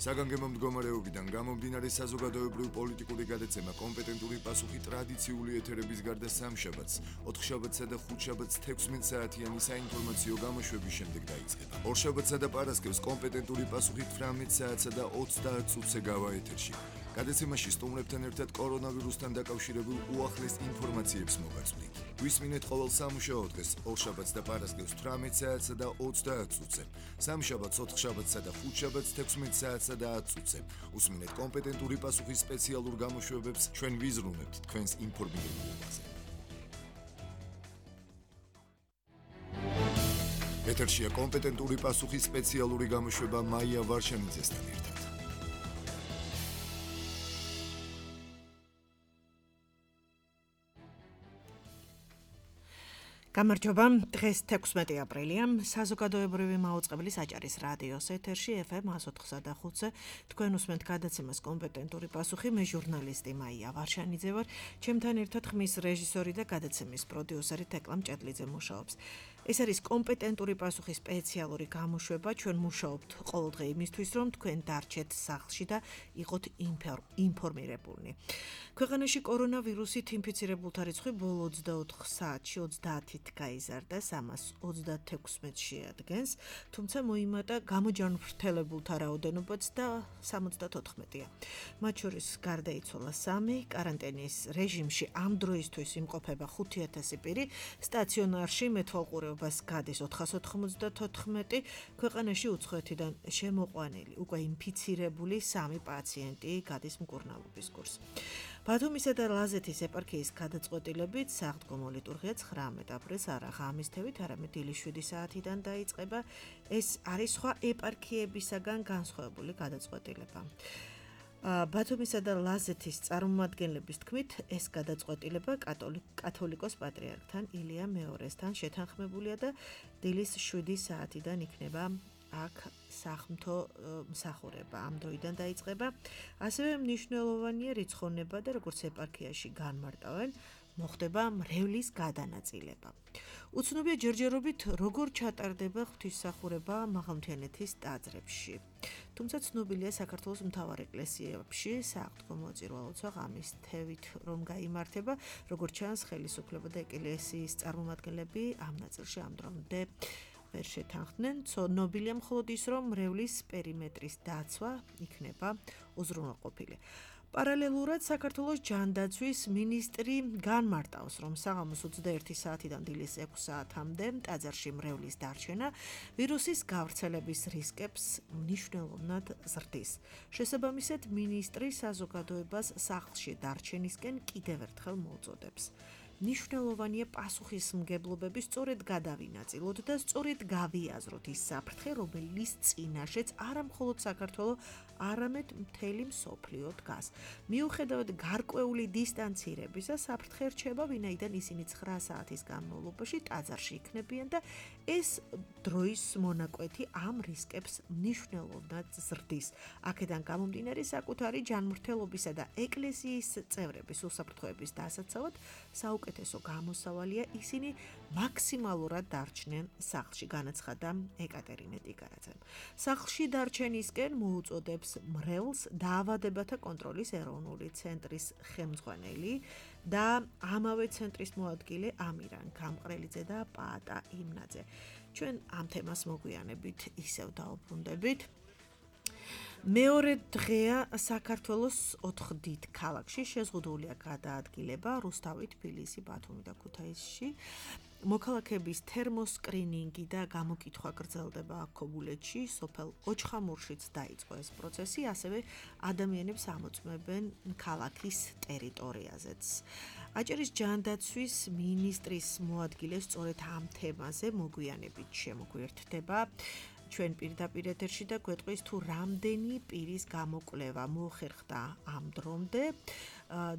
საგანგებო მდგომარეობიდან გამომდინარე საზოგადოებრივ პოლიტიკური გადაცემა კომპეტენტური პასუხი ტრადიციული ეთერების გარდა სამშაბათს, ოთხშაბათსა და ხუთშაბათს 16 საათიანი საინფორმაციო გამოშვების შემდეგ დაიწყება. ორშაბათსა და პარასკევს კომპეტენტური პასუხი 18 საათსა და 30 წუთზე გავა ეთერში. გადაცემაში სტუმრებთან ერთად კორონავირუსთან დაკავშირებულ უახლეს ინფორმაციებს მოგაწვდით. გვისმინეთ ყოველ სამუშაო დღეს, ორშაბათს და პარასკევს 18 საათსა და 30 წუთზე, სამშაბათს, ოთხშაბათსა და ხუთშაბათს 16 საათსა და 10 წუთზე. უსმინეთ კომპეტენტური პასუხის სპეციალურ გამოშვებებს, ჩვენ ვიზრუნებთ თქვენს ინფორმირებაზე. ეთერშია კომპეტენტური პასუხის სპეციალური გამოშვება მაია ვარშანიძესთან ერთად. გამარჯობა, დღეს 16 აპრილია, საზოგადოებრივი მაუწყებლის აჭარის რადიოს ეთერში FM 104.5-ზე თქვენ უსმენთ გადაცემას კომპეტენტური პასუხი, მე ჟურნალისტი მაია ვარშანიძე ვარ, ჩემთან ერთად ხმის რეჟისორი და გადაცემის პროდიუსერი თეკლა მჭედლიძე მუშაობს. ეს არის კომპეტენტური პასუხის სპეციალური გამოშვება, ჩვენ მუშაობთ ყოველდღე იმისთვის, რომ თქვენ დარჩეთ სახლში და იყოთ ინფორმირებულნი. ქვეყანაში კორონავირუსით ინფიცირებულთა რიცხვი ბოლო 24 საათში 30-ით გაიზარდა, 336 შეადგენს, თუმცა მოიმატა გამოჯანმრთელებულთა რაოდენობაც და 74-ია. მათ შორის გარდაიცვალა 3, კარანტინის რეჟიმში ამ დროისთვის იმყოფება 5000 პირი, სტაციონარში მეთვალყურეობას გადის 494, ქვეყანაში უცხოეთიდან შემოყვანილი, უკვე ინფიცირებული 3 პაციენტი გადის მკურნალობის კურსს. ბათუმისა და ლაზეთის ეპარქიის გადაწყვეტილებით საღდგომო ლიტურგია 19 აპრილს არა ღამისთევით, არამედ დილის 7 საათიდან დაიწყება. ეს არის სხვა ეპარქიებისაგან განსხვავებული გადაწყვეტილება. ბათუმისა და ლაზეთის წარმომადგენლების თქმით, ეს გადაწყვეტილება კათოლიკოს პატრიარქთან ილია მეორესთან შეთანხმებულია და დილის 7 საათიდან იქნება აქ სახმთო მსახურება ამ დროიდან დაიწყება. ასევე მნიშვნელოვანია რიცხონება და როგორც ეპარქიაში განმარტავენ, მოხდება მრევლის გადანაწილება. უცნობია ჯერჯერობით როგორ ჩატარდება ღვთისმსახურება მაღალმთიანეთის ტაძრებში. თუმცა ცნობილია საქართველოს მთავარ ეკლესიებში საღდგომო წირვა-ლოცვა ღამისთევით რომ გაიმართება, როგორც ჩანს ხელისუფლება და ეკლესიის წარმომადგენლები ამ ნაწილში ამ დრომდე ვერ შეთანხმდნენ. ცნობილია მხოლოდ ის, რომ მრევლის პერიმეტრის დაცვა იქნება უზრუნველყოფილი. პარალელურად საქართველოს ჯანდაცვის მინისტრი განმარტავს, რომ საღამოს 21 საათიდან დილის 6 საათამდე ტაძარში მრევლის დარჩენა ვირუსის გავრცელების რისკებს მნიშვნელოვნად ზრდის. შესაბამისად, მინისტრი საზოგადოებას სახლში დარჩენისკენ კიდევ ერთხელ მოუწოდებს. მნიშვნელოვანია პასუხისმგებლობები სწორედ გადავინაწილოთ და სწორედ გავიაზროთ ის საფრთხე, რომელიც წინაშეც არა მხოლოდ საქართველო, არამედ მთელი მსოფლიო დგას. მიუხედავად გარკვეული დისტანცირებისა, საფრთხე რჩება, ვინაიდან ისინი 9 საათის განმავლობაში ტაძარში იქნებიან და ეს დროის მონაკვეთი ამ რისკებს მნიშვნელოვნად ზრდის. აქედან გამომდინარე საკუთარი ჯანმრთელობისა და ეკლესიის წევრების უსაფრთხოების დასაცავად საუკეთესო გამოსავალია ისინი მაქსიმალურად დარჩნენ სახლში, განაცხადა ეკატერინე ტიკარაძემ. სახლში დარჩენისკენ მოუწოდებს მრევლს დაავადებათა კონტროლის ეროვნული ცენტრის ხელმძღვანელი და ამავე ცენტრის მოადგილე ამირან გამყრელიძე და პაატა იმნაძე. ჩვენ ამ თემას მოგვიანებით ისევ დაუბრუნდებით. მეორე დღეა საქართველოს 4 დიდ ქალაქში შეზღუდულია გადაადგილება რუსთავი, თბილისი, ბათუმი და ქუთაისში. მოქალაქეების თერმოსკრინინგი და გამოკითხვა გრძელდება ქობულეთში, სოფელ ოჩხამურშიც დაიწყო ეს პროცესი, ასევე ადამიანებს ამოწმებენ ქალაქის ტერიტორიაზეც. აჭარის ჯანდაცვის მინისტრის მოადგილე სწორედ ამ თემაზე მოგვიანებით შემოგვიერთდება ჩვენ პირდაპირ ეთერში და გვეტყვის თუ რამდენი პირის გამოკვლევა მოხერხდა ამ დრომდე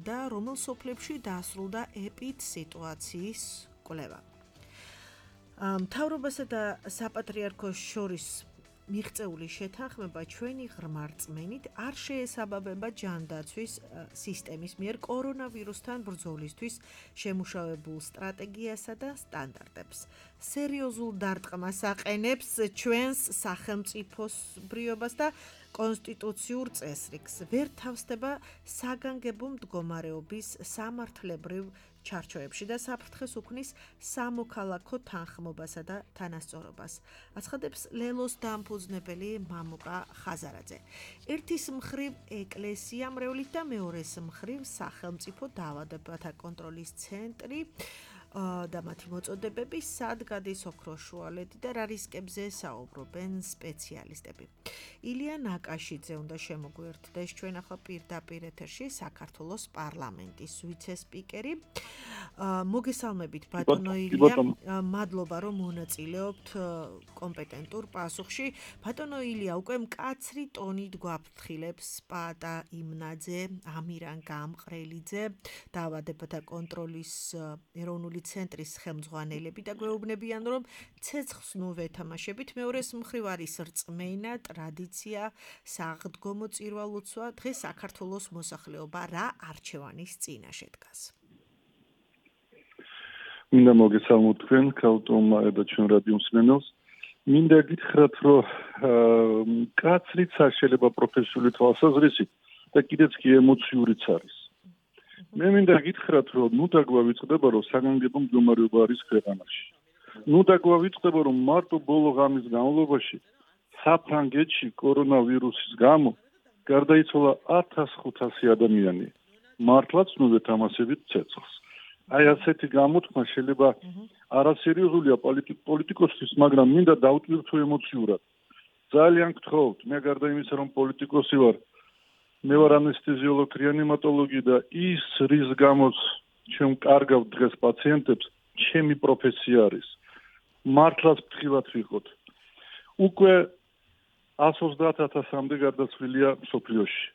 და რომელ სოფლებში დასრულდა ეპიდსიტუაციის კვლევა. მთავრობასა და საპატრიარქოს შორის მიღწეული შეთანხმება ჩვენი ღრმა რწმენით არ შეესაბამება ჯანდაცვის სისტემის მიერ კორონავირუსთან ბრძოლისთვის შემუშავებულ სტრატეგიასა და სტანდარტებს. სერიოზულ დარტყმას აყენებს ჩვენს სახელმწიფოსბრიობას და კონსტიტუციურ წესრიგს. ვერ თავსდება საგანგებო მდგომარეობის სამართლებრივ ჩარჩოებში და საფრთხეს უქმნის სამოქალაქო თანხმობასა და თანასწორობას. აცხადებს ლელოს დამფუძნებელი მამუკა ხაზარაძე. ერთის მხრივ ეკლესია მრევლით და მეორეს მხრივ სახელმწიფო დაავადებათა კონტროლის ცენტრი და მათი მოწოდებები სად გადის ოქროს შუალედი და რა რისკებზე საუბრობენ სპეციალისტები. ილია ნაკაშიძე უნდა შემოგვიერთდეს ჩვენ ახლა პირდაპირ ეთერში საქართველოს პარლამენტის ვიცე-სპიკერი. მოგესალმებით ბატონო ილია, მადლობა რომ მონაწილეობთ კომპეტენტურ პასუხში. ბატონო ილია, უკვე მკაცრი ტონით გვაფრთხილებს პაატა იმნაძე, ამირან გამყრელიძე, დაავადებათა კონტროლის ეროვნული ცენტრის ხელმძღვანელები და გვეუბნებიან, რომ ცეცხლს ნუ ვეთამაშებით, მეორეს მხრივ არის რწმენა, ტრადიცია, საღდგომო წირვა-ლოცვა, დღეს საქართველოს მოსახლეობა რა არჩევანის წინაშე დგას? მინდა მოგესალმოთ თქვენ, ქალტომა და ჩვენ რადიო მსმენელს. მინდა გითხრათ, რომ კაცრიც არ შეიძლება პროფესიული თვალსაზრისით და კიდეც კი ემოციურიც არის. მე მინდა გითხრათ, რომ ნუ დაგვავიწყდება, რომ საგანგებო მდგომარეობა არის ქვეყანაში. ნუ დაგვავიწყდება, რომ მარტო ბოლო ღამის განმავლობაში საფრანგეთში კორონავირუსის გამო გარდაიცვალა 1500 ადამიანი. მართლაც ნუ ვეთამაშებით ცეცხლს. აი ასეთი გამოთქმა შეიძლება არასერიოზულია პოლიტიკოსთვის, მაგრამ მინდა დავტვირთო ემოციურად. ძალიან გთხოვთ, მე გარდა იმისა, რომ პოლიტიკოსი ვარ, მე ვარ ანესთეზიოლოგი, რეანიმატოლოგი და ის რის გამოც ჩვენ კარგავ დღეს პაციენტებს, ჩემი პროფესია არის. მართლაც ფრთხილად ვიყოთ. უკვე 130,000-მდე გარდაცვლილია მსოფლიოში.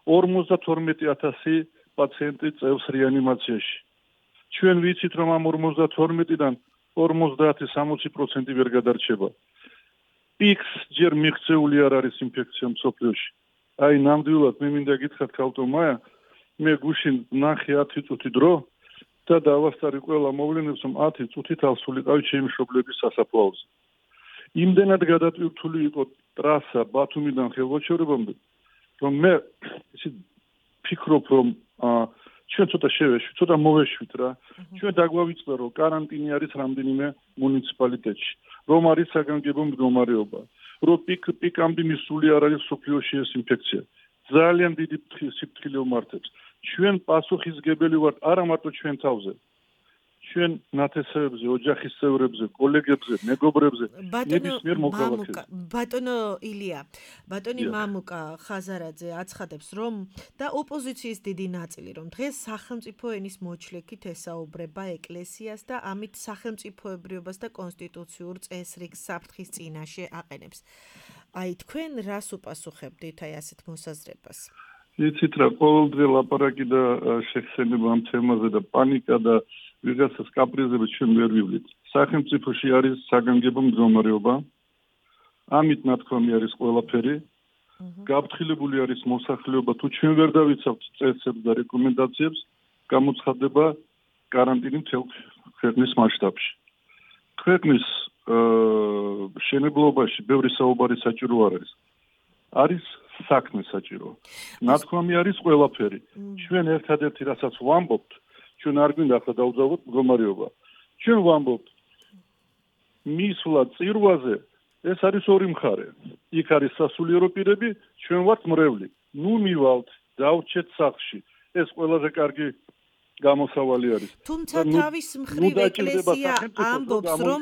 52,000 პაციენტი წევს რეანიმაციაში. ჩვენ ვიცით, რომ ამ 52-დან 50-60% ვერ გადარჩება. პიქს ჯერ მიღწეული არ არის ინფექცია მსოფლიოში. აი ნამდვილად მე მინდა გითხრათ ქალტომაა, მე გუშინ ნახე 10 წუთი დრო და დავასწარი ყველა მოვლენებს, რომ 10 წუთით ავსულიყავი ჩემი მშობლების სასაფლაოზე. იმდენად გადატვირთული იყო ტრასა ბათუმიდან ხელვაჩერებამდე, რომ მე ისე ფიქრობ, რომ ჩვენ ცოტა მოვეშვით რა. ჩვენ დაგვავიწყდა, რომ კარანტინი არის რამდენიმე მუნიციპალიტეტში, რომ არის საგანგებო მდგომარეობა, რომ პიკამდე მისული არ არის სოფლიოში ეს ინფექცია. ძალიან დიდი სიფრთხილე უმართებს. ჩვენ პასუხისგებელი ვართ არა მარტო ჩვენ თავზე, ჩვენ ნათესავებზე, ოჯახის წევრებზე, კოლეგებზე, მეგობრებზე, ნებისმიერ მოქალაქეზე. ბატონო ილია, ბატონი მამუკა ხაზარაძე აცხადებს, რომ და ოპოზიციის დიდი ნაწილი, რომ დღეს სახელმწიფო ენის მოჩლექით ესაუბრება ეკლესიას და ამით სახელმწიფოებრიობას და კონსტიტუციურ წესრიგს საფრთხის წინაშე აყენებს. აი თქვენ რას უპასუხებდით აი ასეთ მოსაზრებას? იცით რა, ყოველდღე ლაპარაკი და შეხსენება ამ თემაზე და პანიკა და ვიღაცას კაპრიზები ჩვენ ვერ ვივლით. სახელმწიფოში არის საგანგებო მდგომარეობა. ამით ნათქვამი არის ყველაფერი. გაფრთხილებული არის მოსახლეობა, თუ ჩვენ ვერ დავიცავთ წესებს და რეკომენდაციებს, გამოცხადდება каранტინი მთელ ქვეყნის მასშტაბში. ქვეყნის შენებლობაში ბევრი საუბარი საჭირო არ არის. არის საქმე საჭირო. ნათქვამი არის ყველაფერი. ჩვენ ერთადერთი რასაც ვამბობთ, ჩვენ არ გვინდა ახლა დავძავოთ მდგომარეობა. ჩვენ ვამბობთ მისვლა წირვაზე, ეს არის ორი მხარე. იქ არის სასულიერო პირები, ჩვენ ვართ მრევლი. ნუ მივალთ, დავრჩეთ სახლში. ეს ყველაზე კარგი გამოსავალი არის. თუმცა თავის მხრივ ეკლესია ამბობს, რომ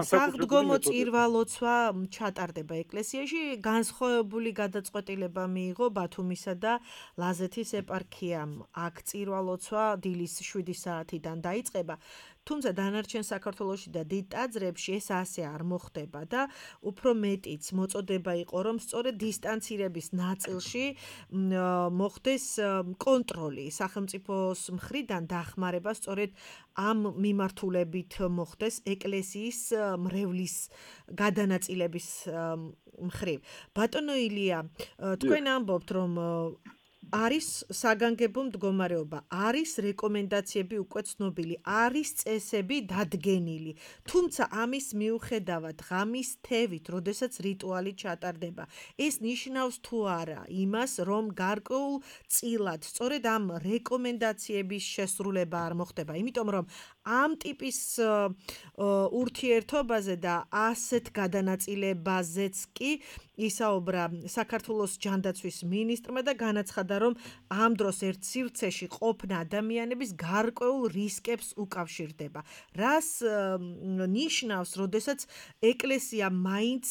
საღდგომო წირვა-ლოცვა ჩატარდება ეკლესიაში, განსხვავებული გადაწყვეტილება მიიღო ბათუმისა და ლაზეთის ეპარქიამ. აქ წირვა-ლოცვა დილის 7 საათიდან დაიწყება. თუმცა დანარჩენ საქართველოში და დიდ ტაძრებში ეს ასე არ მოხდება და უფრო მეტიც მოწოდება იყო, რომ სწორედ დისტანცირების ნაწილში მოხდეს კონტროლი სახელმწიფოს მხრიდან დახმარება სწორედ ამ მიმართულებით მოხდეს ეკლესიის მრევლის გადანაწილების მხრივ. ბატონო ილია, თქვენ ამბობთ, რომ არის საგანგებო მდგომარეობა, არის რეკომენდაციები უკვე ცნობილი, არის წესები დადგენილი. თუმცა ამის მიუხედავად ღამის თევით, როდესაც რიტუალი ჩატარდება, ეს ნიშნავს თუ არა იმას, რომ გარკვეულ წილად სწორედ ამ რეკომენდაციების შესრულება არ მოხდება, იმიტომ რომ ამ ტიპის ურთიერთობაზე და ასეთ გადანაწილებაზეც კი ისაუბრა საქართველოს ჯანდაცვის მინისტრმა და განაცხადა, რომ ამ დროს ერთ სივრცეში ყოფნა ადამიანების გარკვეულ რისკებს უკავშირდება. რას ნიშნავს, როდესაც ეკლესია მაინც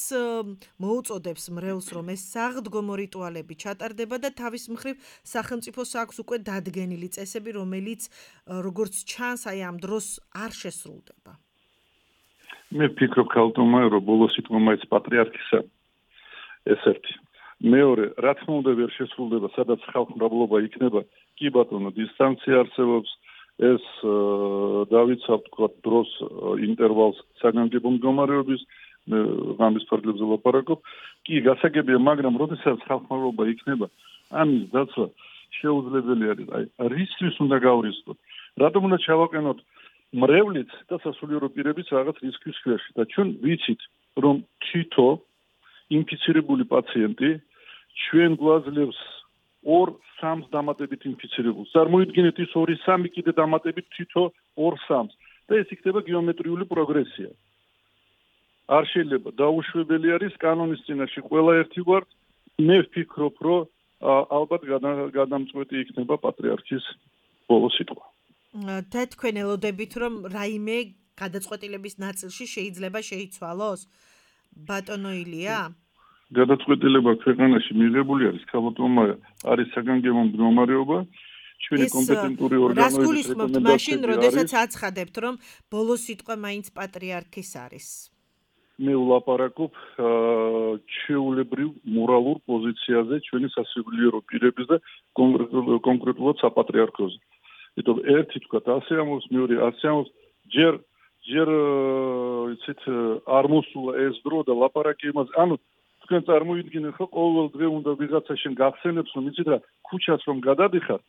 მოუწოდებს მრევლს, რომ ეს საღდგომო რიტუალები ჩატარდება და თავის მხრივ სახელმწიფოს აქვს უკვე დადგენილი წესები, რომელიც როგორც ჩანს, აი ამ დროს არ შესრულდება. მე ვფიქრობ, ქალტომა, რომ ბოლოს სიტყვა მაინც პატრიარქისა ეს ერთი. მეორე, რა თქმა უნდა ვერ შესრულდება, სადაც ხალხმრავლობა იქნება, კი ბატონო, დისტანცია არსებობს, ეს დავიცავთ თქვა დროს ინტერვალს საგანგებო მდგომარეობის ღამის ფარგლებზე ლაპარაკობ, კი გასაგებია, მაგრამ როდესაც ხალხმრავლობა იქნება, ამის დაცვა შეუძლებელი არის. აი, რისთვის უნდა გავრიცხოთ? რატომ უნდა ჩავაყენოთ მრევლიც და სასულიერო პირებიც რაღაც რისკის ქვეშ და ჩვენ ვიცით, რომ თითო ინფიცირებული პაციენტი ჩვენ გვაძლევს 2-3 დამატებით ინფიცირებულს. წარმოიდგინეთ ის 2-3 კიდე დამატებით თითო 2-3 და ეს იქნება გეომეტრიული პროგრესია. არ შეიძლება დაუშვებელი არის კანონის წინაშე ყველა ერთი ვართ. მე ვფიქრობ, რომ ალბათ გადამწყვეტი იქნება პატრიარქის ბოლო სიტყვა. და თქვენ ელოდებით, რომ რაიმე გადაწყვეტილების ნაწილში შეიძლება შეიცვალოს? ბატონო ილია? გადაწყვეტილება ქვეყანაში მიღებული არის, ქალბატონმა არის საგანგებო მდგომარეობა, ჩვენი კომპეტენტური ორგანოების რას გულისხმობთ მაშინ, როდესაც აცხადებთ, რომ ბოლო სიტყვა მაინც პატრიარქის არის? მე ვლაპარაკობ ჩვეულებრივ მორალურ პოზიციაზე ჩვენი სასულიერო პირების და კონკრეტულად საპატრიარქოზე. იმიტომ ერთი თქვა ასე ამბობს, მეორე ასე ამბობს, ჯერ იცით არ მოსულა ეს დრო და ლაპარაკი იმაზე. ანუ თქვენ წარმოიდგინეთ, რომ ყოველ დღე უნდა ვიღაცა შენ გახსენებს, რომ იცით რა, ქუჩას რომ გადადიხარ,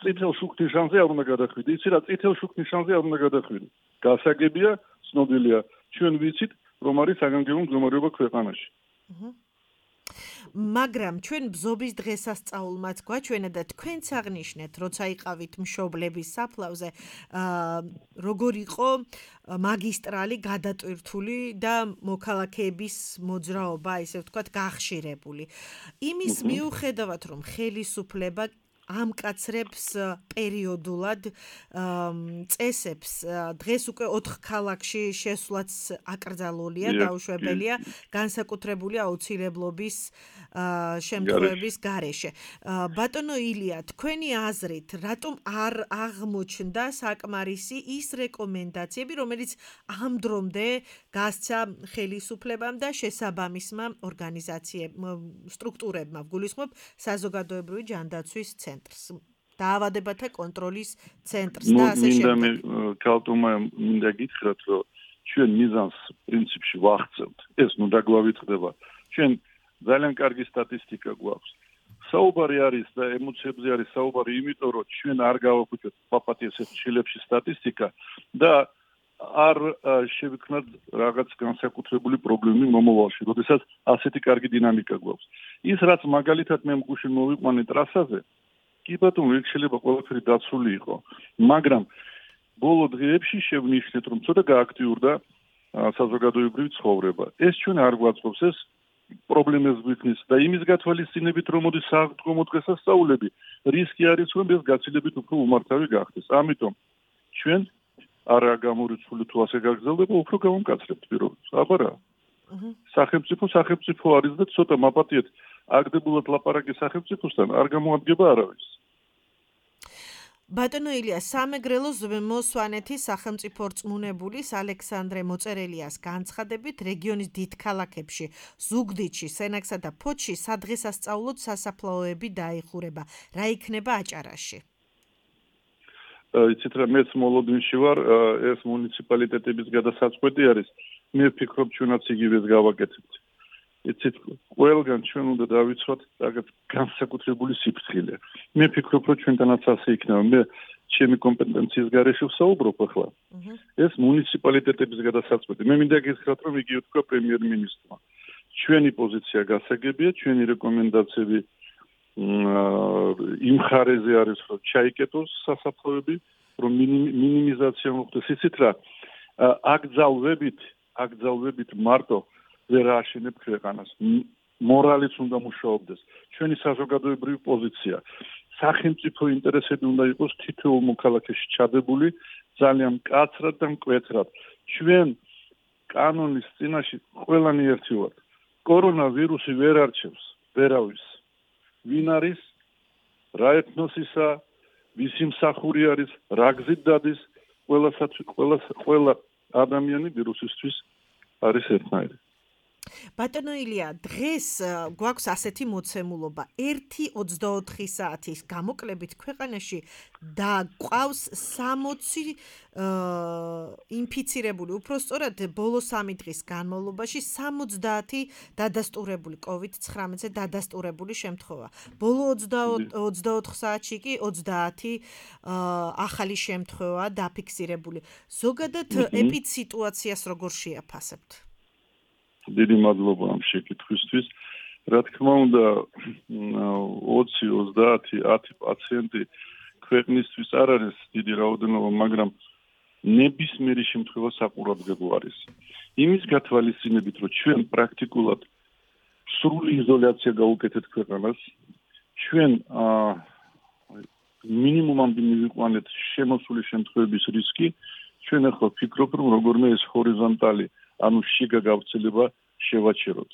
წითელ შუქნის შანზე არ უნდა გადახვიდე. იცით რა, წითელ შუქნის შანზე არ უნდა გადახვიდე. გასაგებია, ცნობილია, ჩვენ ვიცით, რომ არის საგანგებო მდგომარეობა ქვეყანაში. მაგრამ ჩვენ ბზობის დღესასწაულმაც გვაჩვენა და თქვენც აღნიშნეთ, როცა იყავით მშობლების საფლავზე, როგორ იყო მაგისტრალი გადატვირთული და მოქალაქეების მოძრაობა, ესე ვთქვათ, გახშირებული. იმის მიუხედავად, რომ ხელისუფლება ამკაცრებს პერიოდულად წესებს, დღეს უკვე 4 ქალაქში შესვლაც აკრძალულია, დაუშვებელია, განსაკუთრებული აუცილებლობის შემთხვევების გარეშე. ბატონო ილია, თქვენი აზრით, რატომ არ აღმოჩნდა საკმარისი ის რეკომენდაციები, რომელიც ამ დრომდე გასცა ხელისუფლებამ და შესაბამისმა სტრუქტურებმა, ვგულისხმობ საზოგადოებრივი ჯანდაცვის ცენტრს, დაავადებათა კონტროლის ცენტრს და ასე შემდეგ. ქალტომა მინდა გითხრათ, რომ ჩვენ მიზანს პრინციპში ვახცევთ. ეს ნუ დაგვავითხრება. ჩვენ ძალიან კარგი სტატისტიკა გვაქვს. საუბარი არის და ემოციებზე არის საუბარი, იმიტომ რომ ჩვენ არ გავახვიჩოთ პაპატიეს შილებში სტატისტიკა და არ შევიქნათ რაღაც განსაკუთრებული პრობლემები მომავალში, როდესაც ასეთი კარგი დინამიკა გვაქვს. ის რაც მაგალითად მე მგუშინ მოვიყვანე ტრასაზე, კი ბატონო, იქ შეიძლება ყველაფერი დაცული იყო, მაგრამ ბოლო დღეებში შევნიშნეთ, რომ ცოტა გააქტიურდა საზოგადოებრივი ცხოვრება. ეს ჩვენ არ გვაწყობს, ეს პრობლემებს გვიქნის და იმის გათვალისწინებით, რომ მოდის საღდგომო დღესასწაულები, რისკი არის, რომ ეს გაცილებით უფრო უმართავი გახდეს. ამიტომ ჩვენ არა გამორიცხული თუ ასე გაგრძელდება, უფრო გავამკაცრებთ პირობებს. აბა რა. სახელმწიფო არის და ცოტა მაპატიეთ აგდებულად ლაპარაკი სახელმწიფოსთან არ გამოადგება არავის. ბატონო ილია, სამეგრელოს მოსვანეთის სახელმწიფო რწმუნებულის ალექსანდრე მოწერელიას განცხადებით, რეგიონის დიდ ქალაქებში, ზუგდიდში, სენაკსა და ფოთში სადღესასწაულოდ სასაფლაოები დაიხურება. რა იქნება აჭარაში? იცით რა, მეც მოლოდინში ვარ, ეს მუნიციპალიტეტების გადასაწყვეტი არის. მე ვფიქრობ, ჩვენაც იგივეს გავაკეთებთ. იცით, ყველგან ჩვენ უნდა დავიცვათ რაღაც განსაკუთრებული სიფრთხილე. მე ვფიქრობ, რომ ჩვენთანაც ასე იქნება. მე ჩემი კომპეტენციის გარეშე ვსაუბრობ ახლა. ეს მუნიციპალიტეტების გადასაწყვეტი. მე მინდა გითხრათ, რომ იგი უთქვა პრემიერ-მინისტრმა. ჩვენი პოზიცია გასაგებია, ჩვენი რეკომენდაციები იმ ხარეზე არის, რომ ჩაიკეტოს სასაფლაოები, რომ მინიმიზაცია მოხდეს. იცით რა, აკრძალვებით მარტო ვერ ააშენებ ქვეყანას. მორალიც უნდა მუშაობდეს. ჩვენი საზოგადოებრივი პოზიცია, სახელმწიფო ინტერესები უნდა იყოს თითოეულ მოქალაქეში ჩადებული ძალიან მკაცრად და მკვეთრად. ჩვენ კანონის წინაშე ყველანი ერთი ვართ. კორონავირუსი ვერ არჩევს ვერავის. ვინ არის, რა ეთნოსისა, ვისი მსახური არის, რა გზით დადის, ყველა ადამიანი ვირუსისთვის არის ერთნაირი. ბატონო ილია, დღეს გვაქვს ასეთი მოცემულობა, 1-24 საათის გამოკლებით ქვეყანაში და გვყავს 60 ინფიცირებული, უпростоრად ბოლო 3 დღის განმავლობაში 70 დადასტურებული COVID-19-ზე დადასტურებული შემთხვევა. ბოლო 24 საათში კი 30 ახალი შემთხვევა დაფიქსირებული. ზოგადად ეპიდსიტუაციას როგორ შეაფასებთ? დიდი მადლობა ამ შეკითხვისთვის. რა თქმა უნდა, 20, 30, 10 პაციენტი ქვეყნისთვის არ არის დიდი რაოდენობა, მაგრამ ნებისმიერი შემთხვევა საყურადღებო არის. იმის გათვალისწინებით, რომ ჩვენ პრაქტიკულად სრული იზოლაცია გავუკეთეთ ქვეყანას, ჩვენ მინიმუმამდე მივიყვანეთ შემოსული შემთხვევების რისკი, ჩვენ ახლა ვფიქრობ, რომ როგორმე ეს ჰორიზონტალი ანუ შიგა გავრცელება შევაჩეროთ.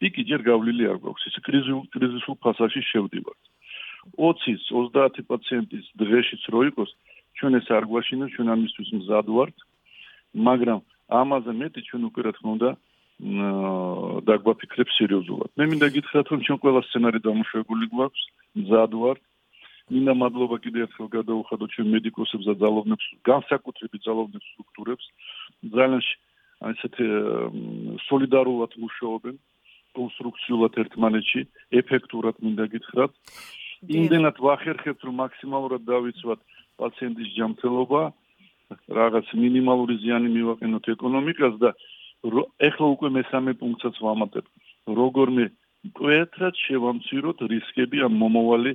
პიკი ჯერ გავლილი არ გვაქვს, ის კრიზისულ ფაზაში შევდივართ. 20-30 პაციენტის დღეშიც რო იყოს, ჩვენ ეს არ გვაშინოს, ჩვენ ამისთვის მზად ვართ, მაგრამ ამაზე მეტი ჩვენ უკვე რა თქმა უნდა დაგვაფიქრებ სერიოზულად. მე მინდა გითხრათ, რომ ჩვენ ყველა სცენარი დამუშავებული გვაქვს, მზად ვართ. მინდა მადლობა კიდევ ერთხელ გადაუხადოთ ჩვენ მედიკოსებს და ძალოვნებს, განსაკუთრებით ძალოვნებს სტრუქტურებს, ძალიან ასეთ სოლიდარულად მუშაობენ, კონსტრუქციულად ერთმანეთში, ეფექტურად მინდა გითხრათ. იმდენად ვახერხებთ, რომ მაქსიმალურად დავიცვათ პაციენტის ჯანმრთელობა, რაღაც მინიმალური ზიანი მივაყენოთ ეკონომიკას და ეხლა უკვე მესამე პუნქტსაც ვამატებ. როგორმე მკვეთრად შევამციროთ რისკები ამ მომავალი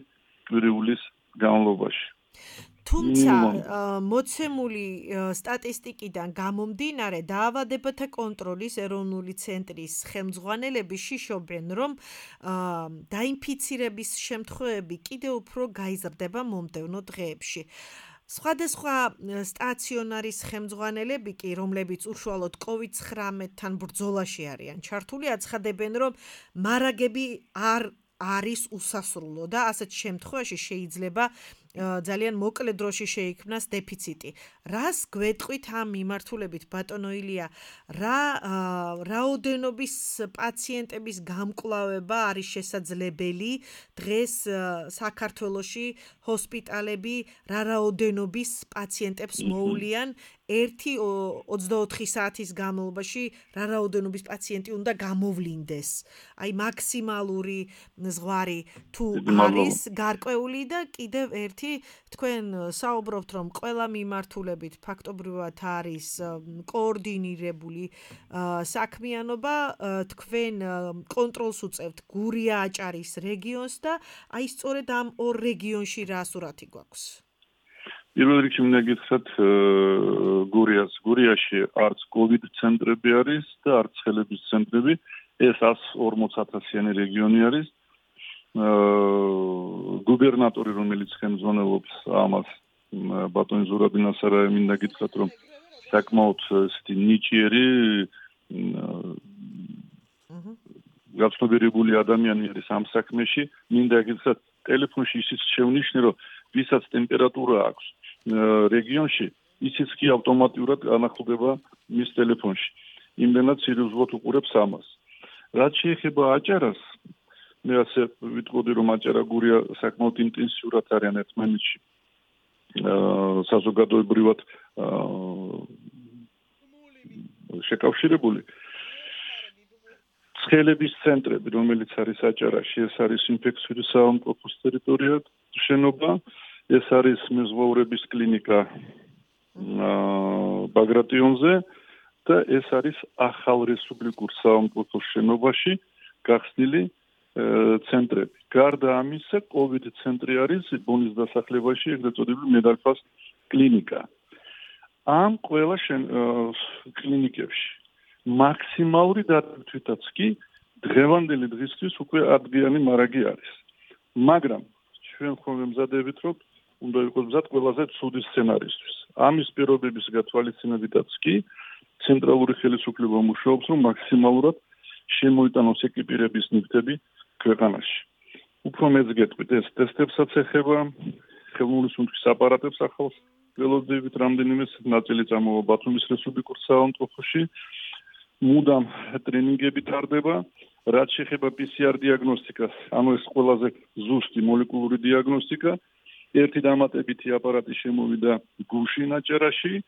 კვირიულის განმავლობაში. თუმცა მოცემული სტატისტიკიდან გამომდინარე, დაავადებათა კონტროლის ეროვნული ცენტრის ხელმძღვანელები შიშობენ, რომ დაინფიცირების შემთხვევები კიდევ უფრო გაიზრდება მომდევნო დღეებში. სხვადასხვა სტაციონარის ხელმძღვანელები კი, რომლებიც უშუალოდ COVID-19-თან ბრძოლაში არიან ჩართული, აცხადებენ, რომ მარაგები არ არის უსასრულო და ასეთ შემთხვევაში შეიძლება ძალიან მოკლე დროში შეიქმნას დეფიციტი. რას გვეტყვით ამ მიმართულებით, ბატონო ილია, რა რაოდენობის პაციენტების გამკლავება არის შესაძლებელი დღეს საქართველოში ჰოსპიტალები რა რაოდენობის პაციენტებს მოუვლიან 1-24 საათის განმავლობაში რა რაოდენობის პაციენტი უნდა გამოვლინდეს. აი მაქსიმალური ზღვარი თუ არის გარკვეული და კიდევ ერთი თქვენ საუბრობთ, რომ ყველა მიმართულებით ფაქტობრივად არის კოორდინირებული საქმიანობა, თქვენ კონტროლს უწევთ გურია-აჭარის რეგიონს და აი სწორედ ამ ორ რეგიონში რა სურათი გვაქვს? პირველ რიგში მინდა გითხრათ გურიაში არც COVID ცენტრები არის და არც ხელების ცენტრები, ეს 140,000-იანი რეგიონი არის. გუბერნატორი, რომელიც ხელმძღვანელობს ამას, ბატონი ზურაბ ნასარაევი, მინდა გითხრათ, რომ საკმაოდ ესეთი ნიჭიერი გაცნობიერებული ადამიანი არის ამ საქმეში. მინდა გითხრათ, ტელეფონში ისიც შევნიშნე, რომ ვისაც ტემპერატურა აქვს რეგიონში, ისიც კი ავტომატურად განახლდება მის ტელეფონში. იმდენად სერიოზულად უყურებს ამას. რაც შეეხება აჭარას, მე ასე ვიტყოდი, რომ აჭარა გურია საკმაოდ ინტენსიურად არიან ერთმანეთში საზოგადოებრივად შეკავშირებული. ცხელების ცენტრები, რომელიც არის აჭარაში, ეს არის ინფექციური საავადმყოფოს ტერიტორია, შენობა, ეს არის მეზღვაურების კლინიკა ბაგრატიონზე და ეს არის ახალ რესპუბლიკურ საავადმყოფოს შენობაში გახსნილი ცენტრები. გარდა ამისა, COVID ცენტრი არის ბონის დასახლებაში, ეგრეთ წოდებული მედალფას კლინიკა. ამ ყველა კლინიკებში მაქსიმალური დატვირთვითაც კი დღევანდელი დღისთვის უკვე ადგიანი მარაგი არის. მაგრამ ჩვენ ხოლმე მზადებით, რომ უნდა იყოს მზად ყველაზე ცუდი სცენარისთვის. ამის პირობების გათვალისწინებითაც კი ცენტრალური ხელისუფლება მუშაობს, რომ მაქსიმალურად შემოიტანოს ეკიპირების ნივთები ქვეყანაში. უფრო მეც გეტყვით, ეს ტესტებსაც ეხება, ხელოვნური სუნთქვის აპარატებს ახალს ველოდებით, რამდენიმე ნაწილი წამოვა ბათუმის რესპუბლიკურ საავადმყოფოში. მუდამ ტრენინგები ტარდება, რაც შეეხება PCR დიაგნოსტიკას, ანუ ეს ყველაზე ზუსტი მოლეკულური დიაგნოსტიკა. ერთი დამატებითი აპარატი შემოვიდა გუშინ აჭარაში,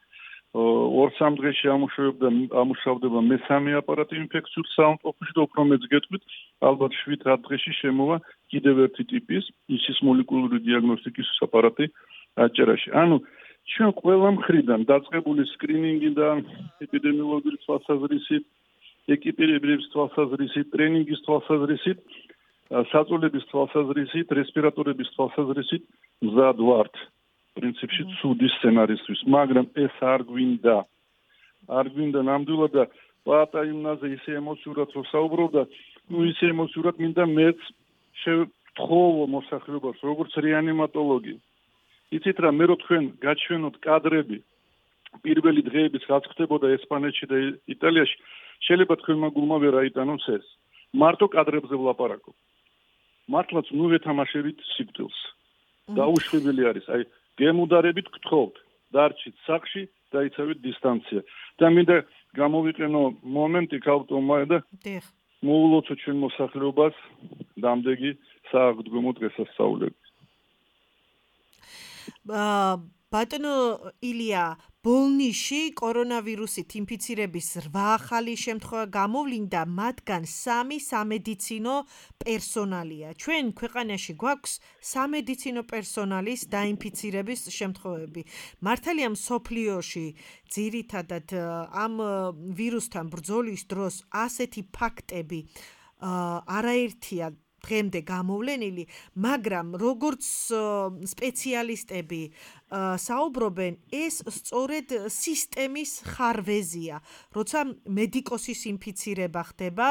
2-3 დღეში ამუშავდება მესამე აპარატი ინფექციურ საავადმყოფოში და უფრო მეც გეტყვით, ალბათ 7-8 დღეში შემოვა კიდევ ერთი ტიპის ისის მოლეკულური დიაგნოსტიკის აპარატი აჭარაში. ანუ ჩვენ ყველა მხრიდან დაწყებული სკრინინგი და ეპიდემიოლოგიური თვალსაზრისით, ეკიპირების თვალსაზრისით, ტრენინგის თვალსაზრისით, საწოლების თვალსაზრისით, რესპირატორების თვალსაზრისით მზად ვართ. პრინციპში ცუდი სცენარისთვის, მაგრამ ეს არ გვინდა ნამდვილად და პატა იმაზე ისე ემოციურად რო საუბრობდა, ისე ემოციურად მინდა მეც შევთხოვო მოსახლეობას, როგორც რეანიმატოლოგი. იცით რა, მე რო თქვენ გაჩვენოთ კადრები პირველი დღეების რაც ხდებოდა ესპანეთში და იტალიაში, შეიძლება თქვენმა გულმა ვერ აიტანოს ეს. მარტო კადრებზე ვლაპარაკობ. მართლაც ნუ ვეთამაშებით სიკვდილს. დაუშვებელი არის. აი გემუდარებით გთხოვთ, დარჩით სახლში, დაიცავით დისტანცია. და მინდა გამოვიყენო მომენტი ქალტომა და მოულოცო ჩვენ მოსახლეობას დამდეგი სააღდგომო დღესასწაულები. ბატონო ილია, ბოლნიში კორონავირუსით ინფიცირების 8 ახალი შემთხვევა გამოვლინდა, მათგან 3 სამედიცინო პერსონალია. ჩვენ ქვეყანაში გვაქვს სამედიცინო პერსონალის დაინფიცირების შემთხვევები. მართალია მსოფლიოში ძირითადად ამ ვირუსთან ბრძოლის დროს ასეთი ფაქტები არაერთია დღემდე გამოვლენილი, მაგრამ როგორც სპეციალისტები საუბრობენ, ეს სწორედ სისტემის ხარვეზია, როცა მედიკოსის ინფიცირება ხდება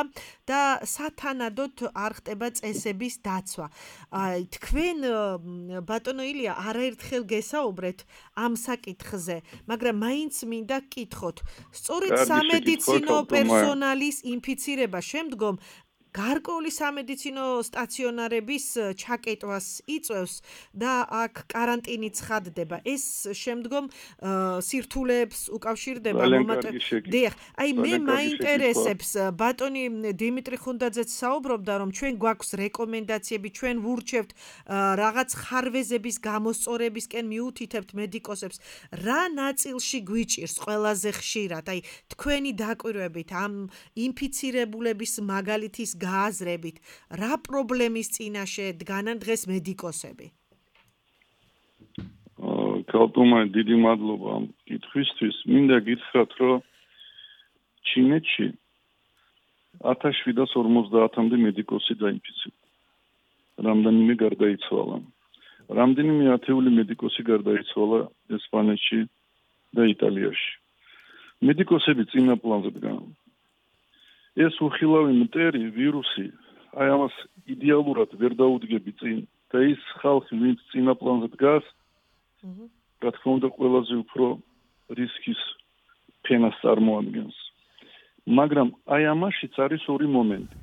და სათანადოდ არ ხდება წესების დაცვა. თქვენ ბატონო ილია არაერთხელ გესაუბრეთ ამ საკითხზე, მაგრამ მაინც მინდა გკითხოთ, სწორედ სამედიცინო პერსონალის ინფიცირება შემდგომ გარკვეული სამედიცინო სტაციონარების ჩაკეტვას იწვევს და აქ კარანტინი ცხადდება. ეს შემდგომ სირთულეებს უკავშირდება დიახ, აი მე მაინტერესებს, ბატონი დიმიტრი ხუნდაძეც საუბრობდა, რომ ჩვენ გვაქვს რეკომენდაციები, ჩვენ ვურჩევთ რაღაც ხარვეზების გამოსწორებისკენ მიუთითებთ მედიკოსებს. რა ნაწილში გვიჭირს ყველაზე ხშირად? აი თქვენი დაკვირვებით ამ ინფიცირებულების მაგალითის გააზრებით, რა პრობლემის წინაშე დგანან დღეს მედიკოსები? ქალტომა, დიდი მადლობა ამ კითხვისთვის. მინდა გითხრათ, რომ ჩინეთში 1750-მდე მედიკოსი დაინფიცირდა. რამდენიმე გარდაიცვალა. რამდენიმე ათეული მედიკოსი გარდაიცვალა ესპანეთში და იტალიაში. მედიკოსები წინა პლანზე დგან. ეს უხილავი მტერი ვირუსი, აი ამას იდეალურად ვერ დაუდგები წინ და ის ხალხი, ვინც წინა პლანზე დგას, რა თქმა უნდა, ყველაზე უფრო რისკის ფენას წარმოადგენს. მაგრამ აი ამაშიც არის ორი მომენტი.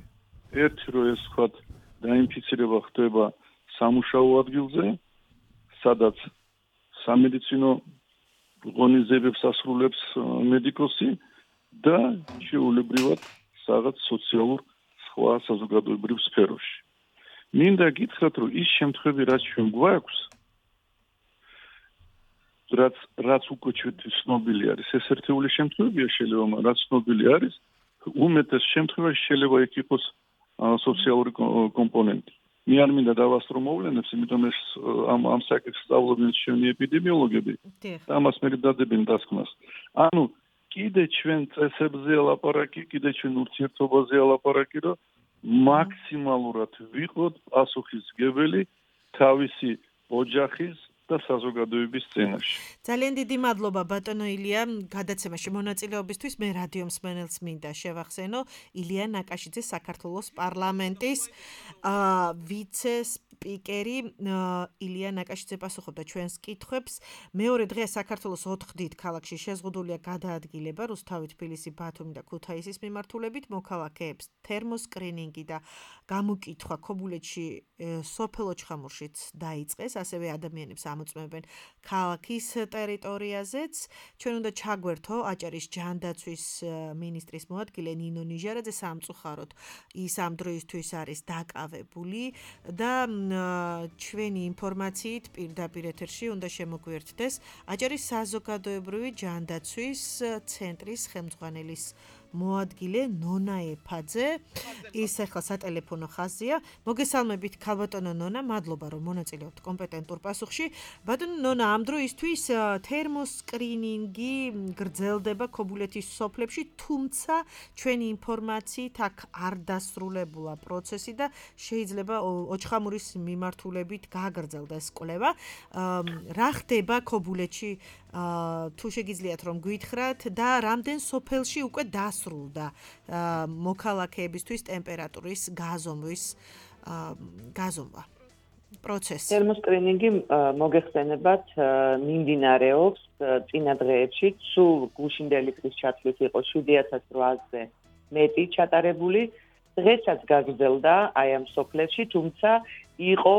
ერთი, რომ ეს ვთქვათ, დაინფიცირება ხდება სამუშაო ადგილზე, სადაც სამედიცინო ღონისძიებებს ასრულებს მედიკოსი და შეუულებრივად რაღაც სოციალურ სხვა საზოგადოებრივ სფეროში. მინდა გითხრათ, რომ ის შემთხვევები, რაც ჩვენ გვაქვს, რაც უკვე ჩვენთვის ცნობილი არის, ეს ერთეული შემთხვევებია შეიძლება, მაგრამ რაც ცნობილი არის, უმეტეს შემთხვევაში შეიძლება იქ იყოს სოციალური კომპონენტი. მე არ მინდა დავასწრო მოვლენებს, იმიტომ ეს ამ საკითხს სწავლობენ ჩვენი ეპიდემიოლოგები და ამას მე დადებენ დასკვნას. ანუ კიდე ჩვენ წესებზე ლაპარაკი, კიდე ჩვენ ურთიერთობაზე ლაპარაკი, რომ მაქსიმალურად ვიყოთ პასუხისმგებელი თავისი ოჯახის და საზოგადოების სცენაში. ძალიან დიდი მადლობა ბატონო ილია გადაცემაში მონაწილეობისთვის. მე რადიო მსმენელს მინდა შევახსენო ილია ნაკაშიძე საქართველოს პარლამენტის ვიცე-სპიკერი ილია ნაკაშიძე პასუხობდა ჩვენს კითხვებს. მეორე დღეა საქართველოს 4 დიდ ქალაქში შეზღუდულია გადაადგილება რუსთავი, თბილისი, ბათუმი და ქუთაისის მიმართულებით. მოქალაქეებს თერმოსკრინინგი და გამოკითხვა ქობულეთში სოფელ ოჩხამურშიც დაიწყეს. ასევე ადამიანებს ამოწმებენ ქალაქის ტერიტორიაზეც. ჩვენ უნდა ჩაგვერთო აჭარის ჯანდაცვის მინისტრის მოადგილე ნინო ნიჟარაძე სამწუხაროდ ის ამ დროისთვის არის დაკავებული და ჩვენი ინფორმაციით პირდაპირ ეთერში უნდა შემოგვიერთდეს აჭარის საზოგადოებრივი ჯანდაცვის ცენტრის ხელმძღვანელის მოადგილე ნონა ეფაძე. ის ახლა სატელეფონო ხაზია. მოგესალმებით ქალბატონო ნონა, მადლობა რომ მონაწილეობთ კომპეტენტურ პასუხში. ბატონო ნონა, ამ დროისთვის თერმოსკრინინგი გრძელდება ქობულეთის სოფლებში, თუმცა ჩვენი ინფორმაციით აქ არ დასრულებულა პროცესი და შეიძლება ოჩხამურის მიმართულებით გააგრძელდეს კვლევა. რა ხდება ქობულეთში, თუ შეგიძლიათ რომ გვითხრათ და რამდენ სოფელში უკვე დასრულდა მოქალაქეებისთვის ტემპერატურის გაზომვა პროცესი. თერმოსკრინინგი მოგეხსენებათ მიმდინარეობს წინა დღეებში, სულ გუშინდელი წლის ჩათვლით იყო 7800-ზე მეტი ჩატარებული. დღესაც გაგრძელდა აი ამ სოფლებში, თუმცა იყო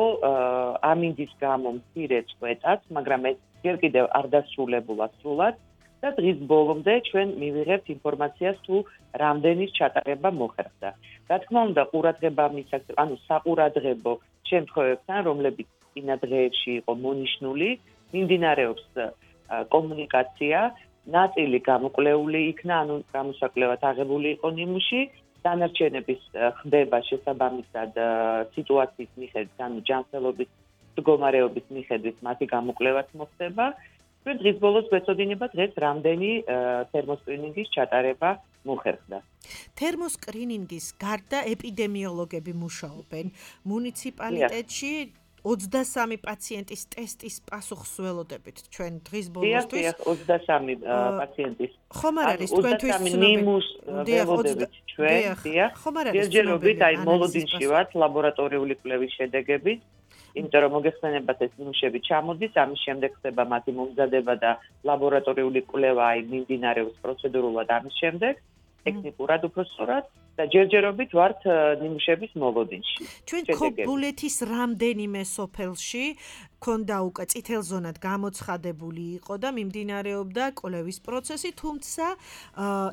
ამინდის გამო მცირე წვეტაც, მაგრამ ეს ჯერ კიდევ არ დასრულებულა სრულად და დღის ბოლომდე ჩვენ მივიღებთ ინფორმაციას თუ რამდენის ჩატარება მოხერხდა. რა თქმა უნდა, ყურადღება მისცემთ, ანუ საყურადღებო შემთხვევებთან, რომლებიც წინა დღეებში იყო მონიშნული, მიმდინარეობს კომუნიკაცია, ნაწილი გამოკვლეული იქნა, ანუ გამოსაკვლევად აღებული იყო ნიმუში, დანარჩენების ხდება შესაბამისად სიტუაციის მიხედვით, ანუ ჯანმრთელობის მდგომარეობის მიხედვით მათი გამოკვლევაც მოხდება. ჩვენ დღის ბოლოს გვეცოდინება დღეს რამდენი თერმოსკრინინგის ჩატარება მოხერხდა. თერმოსკრინინგის გარდა ეპიდემიოლოგები მუშაობენ მუნიციპალიტეტში 23 პაციენტის ტესტის პასუხს ველოდებით ჩვენ დღის ბოლოსთვის. დიახ, 23 პაციენტის. ხომ არ არის თქვენთვის ნიმუს ველოდებით ჩვენ, დიახ. ჯერჯერობით აი მოლოდინში ვართ ლაბორატორიული კვლევის შედეგებით. იმიტომ რომ მოგეხსენებათ ეს ნიმუშები ჩამოდის, ამის შემდეგ ხდება მათი მომზადება და ლაბორატორიული კვლევა აი მიმდინარეობს პროცედურულად ამის შემდეგ, ტექნიკურად უფრო სწორად და ჯერჯერობით ვართ ნიმუშების მოლოდინში. ჩვენ ქობულეთის რამდენიმე სოფელში ქონდა უკვე წითელ ზონად გამოცხადებული იყო და მიმდინარეობდა კვლევის პროცესი, თუმცა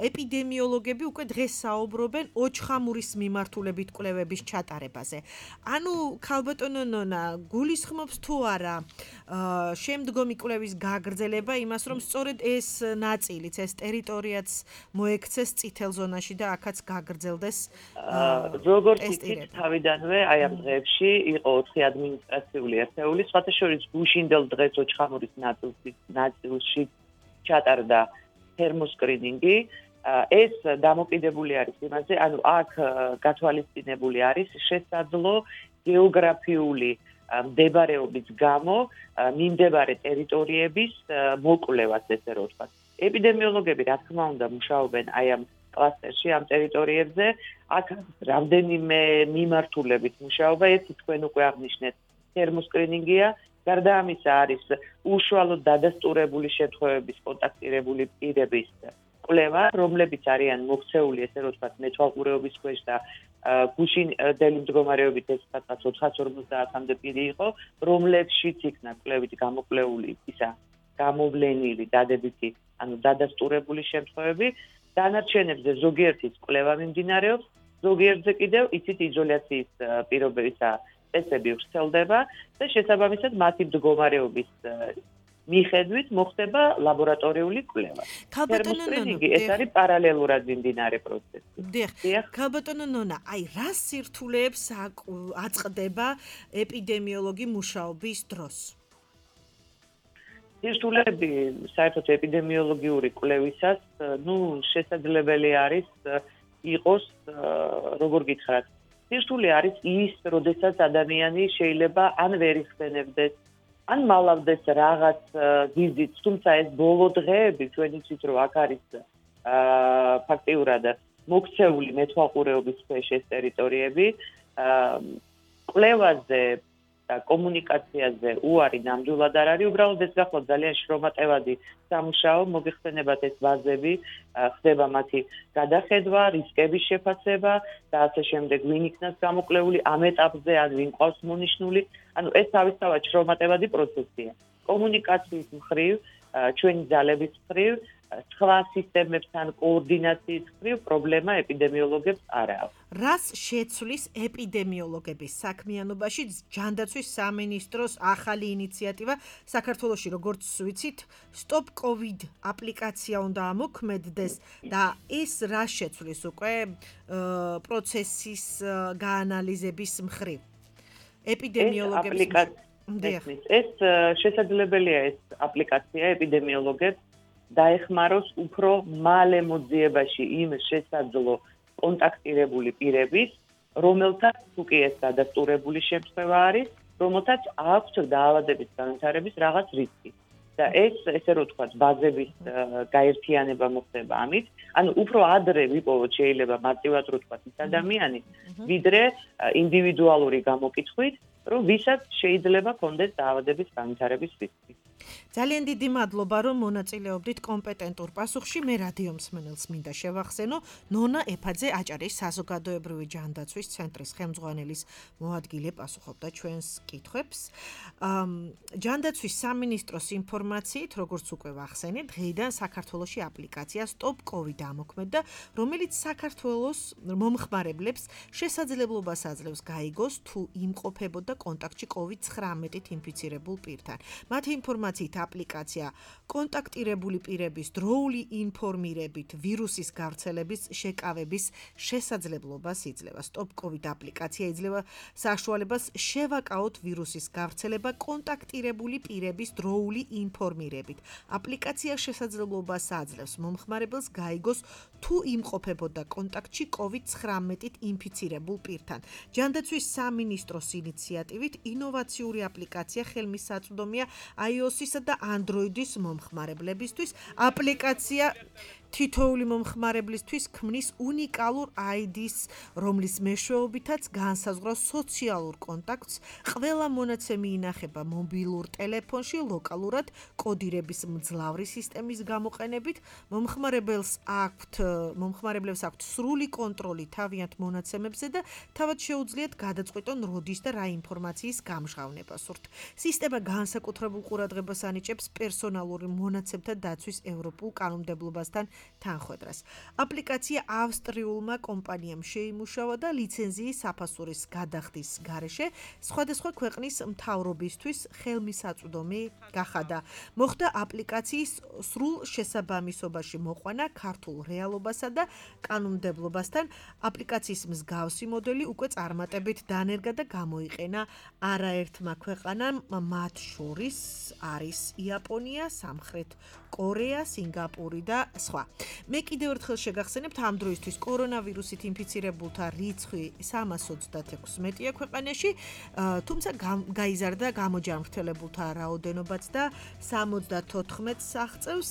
ეპიდემიოლოგები უკვე დღეს საუბრობენ ოჩხამურის მიმართულებით კვლევების ჩატარებაზე. ანუ ქალბატონო ნონა, გულისხმობს თუ არა შემდგომი კვლევის გაგრძელება იმას, რომ სწორედ ეს ნაწილიც, ეს ტერიტორიაც მოექცეს წითელ ზონაში და აქაც გაგრძელდეს როგორც იქით თავიდანვე აი ამ დღეებში იყო 4 ადმინისტრაციული ერთეული, სხვათა შორის გუშინდელ დღეს ოჩხამურის ნაწილში ჩატარდა თერმოსკრინინგი. ეს დამოკიდებული არის იმაზე, ანუ აქ გათვალისწინებული არის შესაძლო გეოგრაფიული მდებარეობის გამო მიმდებარე ტერიტორიების მოკვლევას, ესე რომ ვთქვათ. ეპიდემიოლოგები რა თქმა უნდა მუშაობენ აი ამ კლასტერში, ამ ტერიტორიებზე, აქ რამდენიმე მიმართულებით მუშაობა, ერთი თქვენ უკვე აღნიშნეთ თერმოსკრინინგია, გარდა ამისა არის უშუალოდ დადასტურებული შემთხვევების კონტაქტირებული პირების კვლევა, რომლებიც არიან მოქცეული, ესე რომ ვთქვათ, მეთვალყურეობის ქვეშ და გუშინდელი მდგომარეობით ეს სადღაც 450-მდე პირი იყო, რომლებშიც იქნა კვლევითი გამოკვლეული ისა გამოვლენილი დადებითი, ანუ დადასტურებული შემთხვევები, დანარჩენებზე ზოგიერთის კვლევა მიმდინარეობს, ზოგიერთზე კიდევ იცით იზოლაციის პირობებისა წესები ვრცელდება და შესაბამისად მათი მდგომარეობის მიხედვით მოხდება ლაბორატორიული კვლევა. თერმოსტრინინგი ეს არის პარალელურად მიმდინარე პროცესი. დიახ. ქალბატონო ნონა, აი რა სირთულეებს აწყდება ეპიდემიოლოგი მუშაობის დროს? სირთულეები საერთოდ ეპიდემიოლოგიური კვლევისას, შესაძლებელი არის იყოს, როგორ გითხრათ, სირთულე არის ის, როდესაც ადამიანი შეიძლება ან ვერ იხსენებდეს, ან მალავდეს რაღაც გიზით, თუმცა ეს ბოლო დღეები ჩვენ იცით, რომ აქ არის ფაქტიურად მოქცეული მეთვალყურეობის ქვეშ ეს ტერიტორიები, კვლევაზე და კომუნიკაციაზე უარი ნამდვილად არ არის, უბრალოდ ეს გახლავთ ძალიან შრომატევადი სამუშაო, მოგეხსენებათ ეს ვაზები, ხდება მათი გადახედვა, რისკების შეფასება და ასე შემდეგ, ვინ იქნას გამოკვლეული ამ ეტაპზე, ან ვინ ყავს მონიშნული, ანუ ეს თავისთავად შრომატევადი პროცესია. კომუნიკაციის მხრივ, ჩვენი ძალების მხრივ, სხვა სისტემებთან კოორდინაციის მხრივ პრობლემა ეპიდემიოლოგებს არ აქვს. რას შეცვლის ეპიდემიოლოგების საქმიანობაში ჯანდაცვის სამინისტროს ახალი ინიციატივა საქართველოში, როგორც ვიცით, Stop COVID აპლიკაცია უნდა ამოქმედდეს და ეს რა შეცვლის უკვე პროცესის გაანალიზების მხრივ? ეპიდემიოლოგების ეს შესაძლებელია ეს აპლიკაცია ეპიდემიოლოგებს დაეხმაროს უფრო მალე მოძიებაში იმ შესაძლო კონტაქტირებული პირების, რომელთაც უკვე ეს დადასტურებული შემთხვევა არის, რომელთაც აქვთ დაავადების განვითარების რაღაც რისკი. და ეს, ესე რომ ვთქვათ, ბაზების გაერთიანება მოხდება ამით, ანუ უფრო ადრე ვიპოვოთ შეიძლება მარტივად რო ვთქვათ ის ადამიანი, ვიდრე ინდივიდუალური გამოკითხვით, რომ ვისაც შეიძლება კონდეს დაავადების განვითარების რისკი. ძალიან დიდი მადლობა, რომ მონაწილეობდით კომპეტენტურ პასუხში. მე რადიო მსმენელს მინდა შევახსენო, ნონა ეფაძე აჭარის საზოგადოებრივი ჯანდაცვის ცენტრის ხელმძღვანელის მოადგილე პასუხობდა ჩვენს კითხვებს. ჯანდაცვის სამინისტროს ინფორმაციით, როგორც უკვე ვახსენეთ, დღეიდან საქართველოში აპლიკაცია Stop COVID ამოქმედდა, რომელიც საქართველოს მომხმარებლებს შესაძლებლობას აძლევს გაიგოს, თუ იმყოფებოდა კონტაქტში COVID-19-ით ინფიცირებულ პირთან. მათი ინფორმაციით აპლიკაცია კონტაქტირებული პირების დროული ინფორმირებით ვირუსის გავრცელების შეკავების შესაძლებლობას იძლევა. Stop COVID აპლიკაცია იძლევა საშუალებას შევაკაოთ ვირუსის გავრცელება კონტაქტირებული პირების დროული ინფორმირებით. აპლიკაცია შესაძლებლობას აძლევს მომხმარებელს გაიგოს, თუ იმყოფებოდა კონტაქტში COVID-19-ით ინფიცირებულ პირთან. ჯანდაცვის სამინისტროს ინიციატივით ინოვაციური აპლიკაცია ხელმისაწვდომია iOS-ისა და Android-ის მომხმარებლებისთვის. აპლიკაცია თითოეული მომხმარებლისთვის ქმნის უნიკალურ ID-ს, რომლის მეშვეობითაც განსაზღვრავს სოციალურ კონტაქტს. ყველა მონაცემი ინახება მობილურ ტელეფონში ლოკალურად კოდირების მძლავრი სისტემის გამოყენებით. მომხმარებლებს აქვთ სრული კონტროლი თავიანთ მონაცემებზე და თავად შეუძლიათ გადაწყვიტონ როდის და რა ინფორმაციის გამჟღავნება სურთ. სისტემა განსაკუთრებულ ყურადღებას ანიჭებს პერსონალური მონაცემთა დაცვის ევროპულ კანონმდებლობასთან თანხვედრას. აპლიკაცია ავსტრიულმა კომპანიამ შეიმუშავა და ლიცენზიის საფასურის გადახდის გარეშე სხვადასხვა ქვეყნის მთავრობისთვის ხელმისაწვდომი გახადა. მოხდა აპლიკაციის სრულ შესაბამისობაში მოყვანა ქართულ რეალობასა და კანონმდებლობასთან. აპლიკაციის მსგავსი მოდელი უკვე წარმატებით დანერგა და გამოიყენა არაერთმა ქვეყანამ, მათ შორის არის იაპონია, სამხრეთ კორეა, სინგაპური და სხვა. მე კიდევ ერთხელ შეგახსენებთ, ამ დროისთვის კორონავირუსით ინფიცირებულთა რიცხვი 326-ია ქვეყანაში, თუმცა გაიზარდა გამოჯანმრთელებულთა რაოდენობაც და 74-ს აღწევს.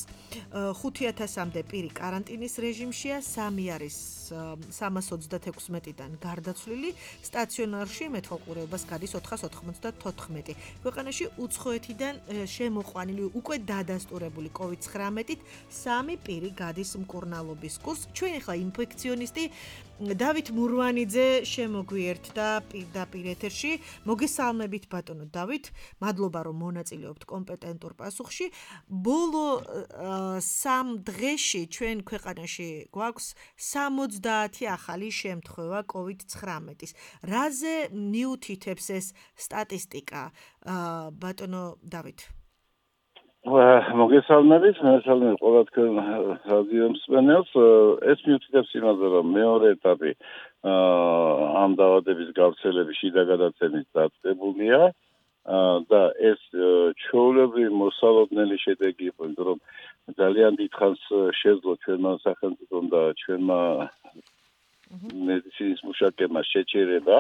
5000-მდე პირი კარანტინის რეჟიმშია, 3 არის 326-დან გარდაცვლილი, სტაციონარში მეთვალყურეობას გადის 494. ქვეყანაში უცხოეთიდან შემოყვანილი უკვე დადასტურებული COVID-19-ით 3 პირი გადის მკურნალობის კურსს. ჩვენ ახლა ინფექციონისტი დავით მურვანიძე შემოგვიერთდა პირდაპირ ეთერში. მოგესალმებით ბატონო დავით. მადლობა რომ მონაწილეობთ კომპეტენტურ პასუხში. ბოლო 3 დღეში ჩვენ ქვეყანაში გვაქვს 70 ახალი შემთხვევა COVID-19-ის. რაზე მიუთითებს ეს სტატისტიკა ბატონო დავით? მოგესალმებით, მოგესალმებით ყველა თქვენ რადიო მსმენელს. ეს მიუთითებს იმაზე, რომ მეორე ეტაპი ამ დაავადების გავრცელების შიდა გადაცემის დაწყებულია და ეს ჩვეულებრივი მოსალოდნელი შედეგი იყო, იმიტომ რომ ძალიან დიდხანს შეძლო ჩვენმა სახელმწიფომ და ჩვენმა მედიცინის მუშაკებმა შეჩერება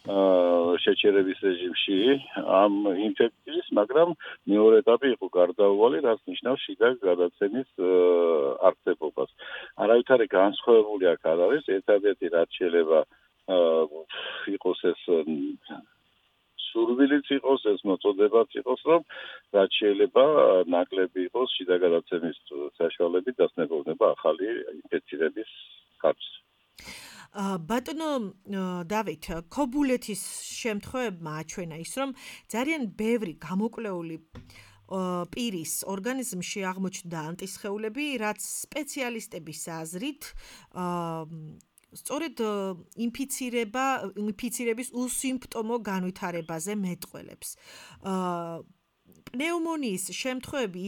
შეჩერების რეჟიმში ამ ინფექციის, მაგრამ მეორე ეტაპი იყო გარდაუვალი, რაც ნიშნავს შიდა გადაცემის არსებობას. არავითარი განსხვავებული აქ არ არის, ერთადერთი რაც შეიძლება იყოს ეს სურვილიც იყოს, ეს მოწოდებაც იყოს, რომ რაც შეიძლება ნაკლები იყოს შიდა გადაცემის საშუალებით დასნებოვნება ახალი ინფექციების ხარჯს. ბატონო დავით, ქობულეთის შემთხვევებმა აჩვენა ის, რომ ძალიან ბევრი გამოკვლეული პირის ორგანიზმში აღმოჩნდა ანტისხეულები, რაც სპეციალისტების აზრით სწორედ ინფიცირების უსიმპტომო განვითარებაზე მეტყველებს. პნეუმონიის შემთხვევები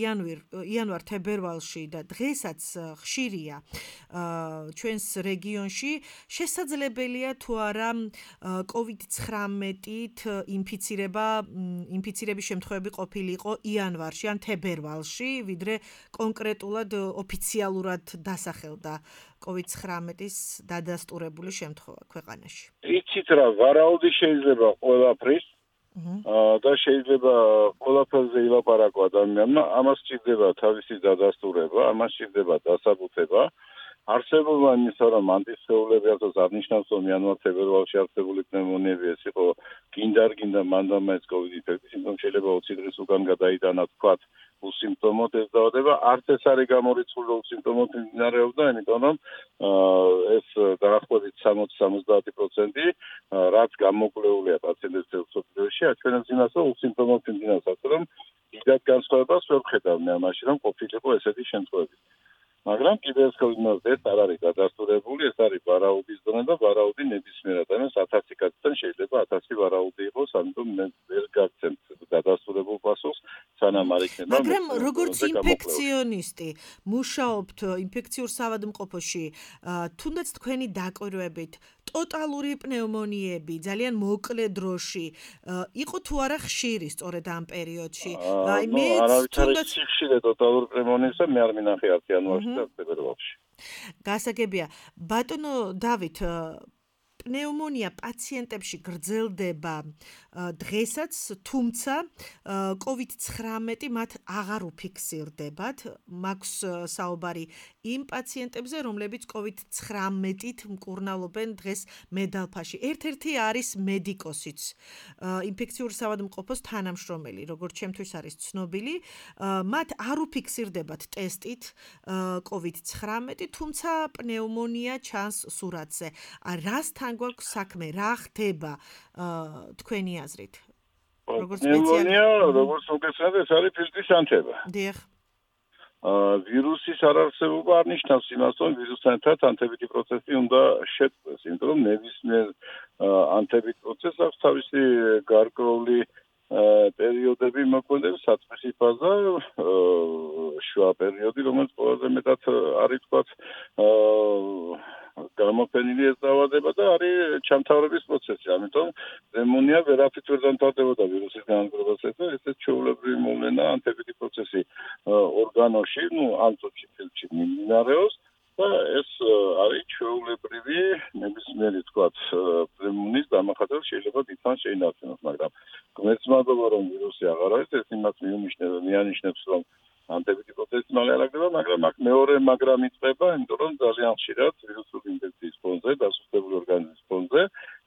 იანვარ-თებერვალში და დღესაც ხშირია ჩვენს რეგიონში. შესაძლებელია თუ არა COVID-19-ით ინფიცირების შემთხვევები ყოფილიყო იანვარში ან თებერვალში, ვიდრე კონკრეტულად ოფიციალურად დასახელდა COVID-19-ის დადასტურებული შემთხვევა ქვეყანაში. იცით რა, ვარაუდი შეიძლება ყველაფრის და შეიძლება ყველაფერზე ილაპარაკო ადამიანმა, ამას სჭირდება თავისი დადასტურება, ამას სჭირდება დასაბუთება. არსებობა იმისა, რომ ანტისხეულები ახლა არ ნიშნავს, რომ იანვარ-თებერვალში არსებული პნეუმონიები ეს იყო გინდა მანდამაინც COVID ინფექცია, იმიტომ შეიძლება 20 დღის უკან გადაიტანა თქვათ უსიმპტომოდ ეს დაავადება, არც ეს არის გამორიცხული უსიმპტომოდ მიმდინარეობდა, იმიტომ რომ ეს დაახლოებით 60-70% რაც გამოკვლეულია პაციენტების მსოფლიოში, აჩვენებს იმას, რომ უსიმპტომოდ მიმდინარეობს, ასე რომ დიდად განსხვავებას ვერ ვხედავ მე ამაში, რომ ყოფილიყო ესეთი შემთხვევები. მაგრამ კიდევ ეს არ არის დადასტურებული, ეს არის ვარაუდის დონე და ვარაუდი ნებისმიერ ადამიანს 1000 კაცთან შეიძლება 1000 ვარაუდი იყოს, ამიტომ მე ვერ გაგცემთ დადასტურებულ პასუხს, სანამ არ იქნება. მაგრამ როგორც ინფექციონისტი, მუშაობთ ინფექციურ საავადმყოფოში, თუნდაც თქვენი დაკვირვებით, ტოტალური პნეუმონიები ძალიან მოკლე დროში იყო თუ არა ხშირი სწორედ ამ პერიოდში. აი მე თუნდაც ხშირი ტოტალური პნეუმონიისა მე არ მინახე არც იანვარში და თებერვალში. გასაგებია. ბატონო დავით, პნეუმონია პაციენტებში გრძელდება დღესაც, თუმცა COVID-19 მათ აღარ უფიქსირდებათ. მაქვს საუბარი იმ პაციენტებზე, რომლებიც COVID-19-ით მკურნალობენ დღეს მედალფაში. ერთ-ერთი არის მედიკოსიც, ინფექციურ საავადმყოფოს თანამშრომელი, როგორც ჩემთვის არის ცნობილი. მათ არ უფიქსირდებათ ტესტით COVID-19, თუმცა პნეუმონია ჩანს სურათზე. რასთან გვაქვს საქმე, რა ხდება თქვენი აზრით? როგორც პნეუმონია, როგორც მოგესალმებით, ეს არის ფილტვის ანთება. დიახ. ვირუსის არარსებობა არ ნიშნავს იმას, რომ ვირუსთან ერთად ანთებითი პროცესი უნდა შეწყდეს, იმიტომ რომ ნებისმიერ ანთებით პროცესს აქვს თავისი გარკვეული პერიოდები მოქმედებს, საწყისი ფაზა, შუა პერიოდი, რომელიც ყველაზე მეტად არის თქვათ გამოფენილი ეს დაავადება და არის ჩამთავრების პროცესი. ამიტომ პნეუმონია ვერაფრით ვერ დამთავრდებოდა ვირუსის განადგურებასთან და ესეც ჩვეულებრივი მოვლენა ანთებითი პროცესი ორგანოში, ამ წუთში ფილტვში მიმდინარეობს და ეს არის ჩვეულებრივი ნებისმიერი თქვათ პნეუმონიის დამახასიათებელი შეიძლება დიდხანს შეინარჩუნოს, მაგრამ გმერთმადობა რომ ვირუსი აღარ არის, ეს იმას მიანიშნებს, რომ ანთებითი პროცესი მალე არ აღდება, მაგრამ აქ მეორე მაგრამ იწყება, იმიტომ რომ ძალიან ხშირად ვირუსული ინფექციის ფონზე, დასუსტებული ორგანიზმის ფონზე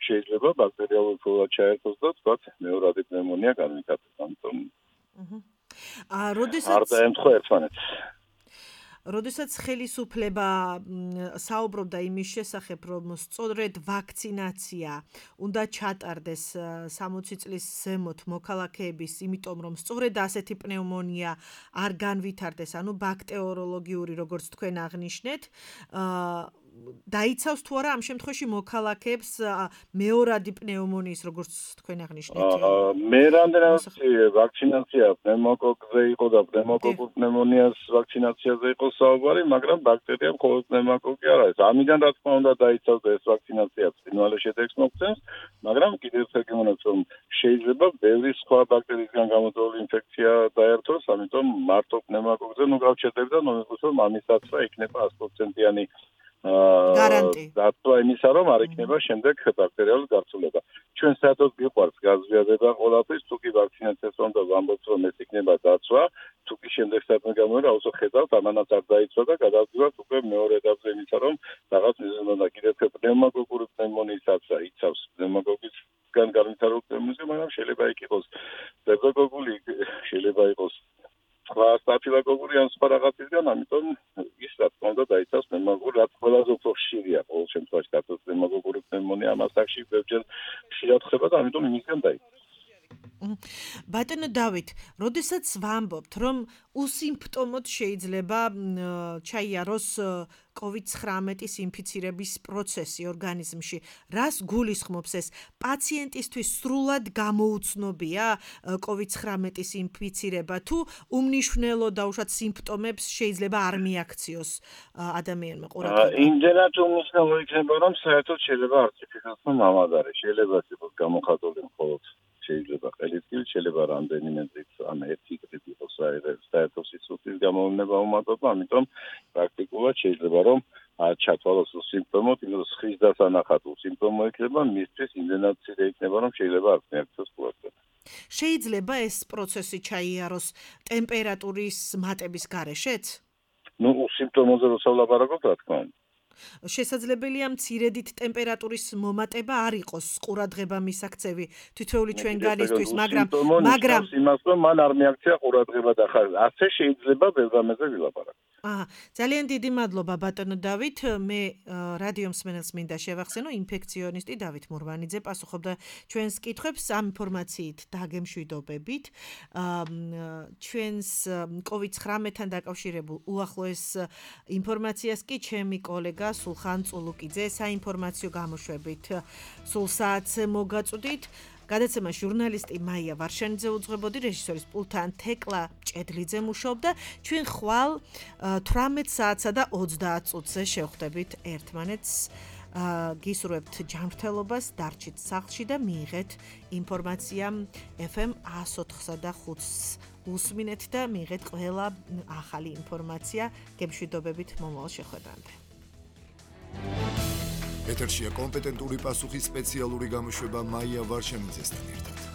შეიძლება ბაქტერიალური ფლორა ჩაერთოს და თქვათ მეორადი პნეუმონია განვითარდეს. ამიტომ არ დაემთხვა ერთმანეთს. როდესაც ხელისუფლება საუბრობდა იმის შესახებ, რომ სწორედ ვაქცინაცია უნდა ჩატარდეს 60 წლის ზემოთ მოქალაქეების, იმიტომ რომ სწორედ ასეთი პნევმონია არ განვითარდეს, ანუ ბაქტერიოლოგიური, როგორც თქვენ აღნიშნეთ, დაიცავს თუ არა ამ შემთხვევაში მოქალაქეებს მეორადი პნევმონიის, როგორც თქვენ აღნიშნეთ? მე რამდენადაც ვაქცინაცია პნევმოკოკზე იყო და პნევმოკოკურ პნევმონიას ვაქცინაციაზე იყო საუბარი, მაგრამ ბაქტერია მხოლოდ პნევმოკოკი არ არის. ამიდან რა თქმა უნდა დაიცავს ეს ვაქცინაცია ბრინვალე შედეგს მოგცემს, მაგრამ კიდევ ერთხელ გემოვნებთ, რომ შეიძლება ბევრი სხვა ბაქტერიისგან გამოდებული ინფექცია დაერთოს, ამიტომ მარტო პნევმოკოკზე გავჩერდები და νομიყვეს, რომ ამისაც იქნება 100%-იანი გარანტი. დათვა იმისა, რომ არ იქნება შემდეგ ბაქტერიალური გარცულება. ჩვენ საერთოდ გიყვარს გაზვიადება ყველაფრის, თუ კი ვაქცინაციას უნდა ვამბობთ, რომ ეს იქნება დაცვა, თუ კი შემდეგ საერთოდ გამოვიდა, აუცილებლად ხედავთ, ამანაც არ დაიცვა და გადავდივართ უკვე მეორე ეტაპზე იმისა, რომ რაღაც მიზეზი და კიდევ პნევმოკოკური პნევმონიისას იცავს პნევმოკოკისგან განვითარებულ პნევმონიას, მაგრამ შეიძლება იქ იყოს სტრეპტოკოკული, შეიძლება იყოს სხვა სტაფილოკოკური ან სხვა რაღაცისგან, ამიტომ ის რა თქმა უნდა დაიცავს პნევმოკოკური, რაც ყველაზე უფრო ხშირია ყოველ შემთხვევაში დათოს პნევმოკოკური პნევმონია ამას აქში ბევრჯერ ხშირად ხდება და ამიტომ იმისგან დაიცავს. ბატონო დავით, როდესაც ვამბობთ, რომ უსიმპტომოდ შეიძლება ჩაიაროს COVID-19-ის ინფიცირების პროცესი ორგანიზმში, რას გულისხმობს ეს? პაციენტისთვის სრულად გამოუცნობია COVID-19-ის ინფიცირება თუ უმნიშვნელო დაუშვათ სიმპტომებს შეიძლება არ მიაქციოს ადამიანმა ყურადღება? იმდენად უმნიშვნელო იქნება, რომ საერთოდ შეიძლება არტიფიციალურად მამადარი, შეიძლება იყოს გამოხატული მხოლოდ შეიძლება ყელისკილი, შეიძლება რამდენიმე დღით ან ერთი დღით იყოს საერთო სიცოცხლის გამოვნება უმატება, ამიტომ პრაქტიკულად შეიძლება რომ ჩათვალოს სიმპტომები, იმიტომ რომ ხის დასანახად სიმპტომი იქნება, მისთვის იმდენად ცირე იქნება, რომ შეიძლება არ მიაქციოს ყურადღება. შეიძლება ეს პროცესი ჩაიაროს ტემპერატურის მატების გარეშეც? სიმპტომებზე როცა ვლაპარაკობთ, რა თქმა უნდა. შესაძლებელია მცირედით ტემპერატურის მომატება არ იყოს ყურადღება მისაქცევი თითოეული ჩვენგანისთვის, მაგრამ იმას რომ მან არ მიაქცია ყურადღება და ხარ ასე შეიძლება ბევრგანზე ვილაპარაკო. ძალიან დიდი მადლობა ბატონო დავით. მე რადიო მსმენელს მინდა შევახსენო, ინფექციონისტი დავით მურვანიძე პასუხობდა ჩვენს კითხვებს ამ ინფორმაციით დაგემშვიდობებით. ჩვენს COVID-19-თან დაკავშირებულ უახლოეს ინფორმაციას კი ჩემი კოლეგა სულხან წულუკიძე საინფორმაციო გამოშვებით სულ საათზე მოგაწვდით. გადაცემა ჟურნალისტი მაია ვარშანიძე უძღვებოდი, რეჟისორის პულტთან თეკლა ჭედლიძე მუშაობდა. ჩვენ ხვალ 18 საათსა და 30 წუთზე შევხვდებით ერთმანეთს. გისურვებთ ჯანმრთელობას, დარჩით სახლში და მიიღეთ ინფორმაცია FM 104.5-ს უსმინეთ და მიიღეთ ყველა ახალი ინფორმაცია. გემშვიდობებით მომავალ შეხვედრამდე. ეთერშია კომპეტენტური პასუხის სპეციალური გამოშვება მაია ვარშანიძესთან ერთად.